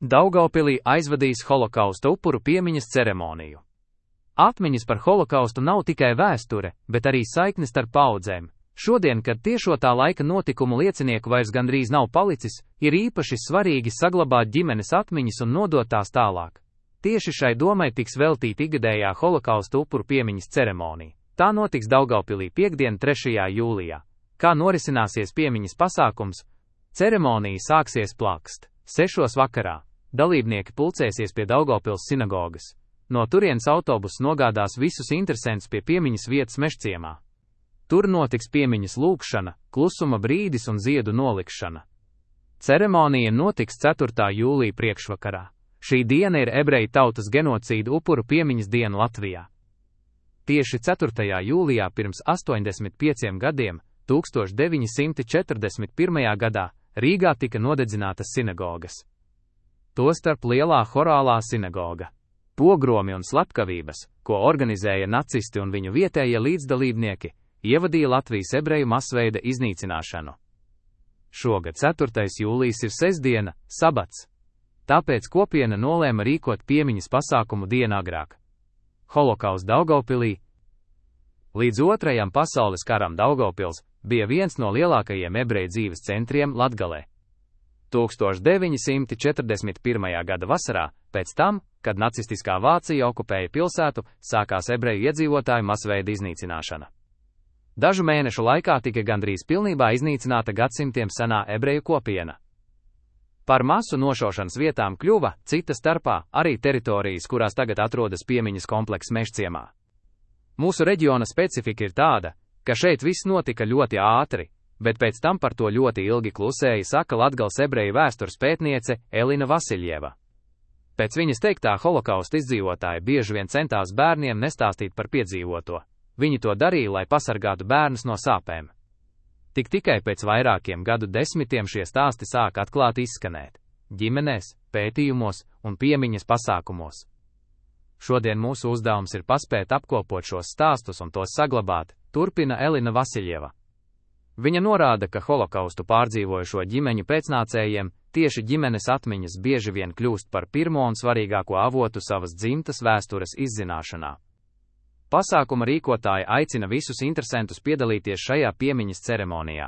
Daugavpilī aizvadīs holokausta upuru piemiņas ceremoniju. Atmiņas par holokaustu nav tikai vēsture, bet arī saikne starp paudzēm. Šodien, kad tiešo tā laika notikumu liecinieku vairs gandrīz nav palicis, ir īpaši svarīgi saglabāt ģimenes atmiņas un nodot tās tālāk. Tieši šai domai tiks veltīta ikgadējā holokausta upuru piemiņas ceremonija. Tā notiks Daugavpilī piektdien, 3. jūlijā. Kā norisināsies piemiņas pasākums? Ceremonija sāksies plakst 6. vakarā. Dalībnieki pulcēsies pie Daugavpils sinagogas. No turienes autobuss nogādās visus interesentus pie piemiņas vietas Mežciemā. Tur notiks piemiņas lūgšana, klusuma brīdis un ziedu nolikšana. Ceremonija notiks 4. jūlija priekšvakarā. Šī diena ir ebreju tautas genocīdu upuru piemiņas diena Latvijā. Tieši 4. jūlijā pirms 85 gadiem, 1941. gadā, Rīgā tika nodedzinātas sinagogas. Tostarp Lielā Horālā sinagoga. Pogromi un slepkavības, ko organizēja nacisti un viņu vietējie līdzdalībnieki, ievadīja Latvijas ebreju masveida iznīcināšanu. Šogad 4. jūlijs ir sestdiena, sabats. Tāpēc kopiena nolēma rīkot piemiņas pasākumu dienu agrāk. Holokausts Daugavpilī. Līdz Otrajam pasaules karam Daugavpils bija viens no lielākajiem ebreju dzīves centriem Latgalē. 1941. gada vasarā, pēc tam, kad nacistiskā Vācija okupēja pilsētu, sākās ebreju iedzīvotāju masveida iznīcināšana. Dažu mēnešu laikā tika gandrīz pilnībā iznīcināta gadsimtiem senā ebreju kopiena. Par masu nošaušanas vietām kļuva, cita starpā, arī teritorijas, kurās tagad atrodas piemiņas komplekss Mežciemā. Mūsu reģiona specifika ir tāda, ka šeit viss notika ļoti ātri, bet pēc tam par to ļoti ilgi klusēja, saka Latgales ebreju vēstures pētniece Elina Vasiljeva. Pēc viņas teiktā holokausta izdzīvotāji bieži vien centās bērniem nestāstīt par piedzīvoto. Viņi to darīja, lai pasargātu bērnus no sāpēm. Tikai pēc vairākiem gadu desmitiem šie stāsti sāk atklāti izskanēt ģimenēs, pētījumos un piemiņas pasākumos. Šodien mūsu uzdevums ir paspēt apkopot šos stāstus un tos saglabāt, turpina Elina Vasiljeva. Viņa norāda, ka holokaustu pārdzīvojušo ģimeņu pēcnācējiem tieši ģimenes atmiņas bieži vien kļūst par pirmo un svarīgāko avotu savas dzimtas vēstures izzināšanā. Pasākuma rīkotāji aicina visus interesentus piedalīties šajā piemiņas ceremonijā.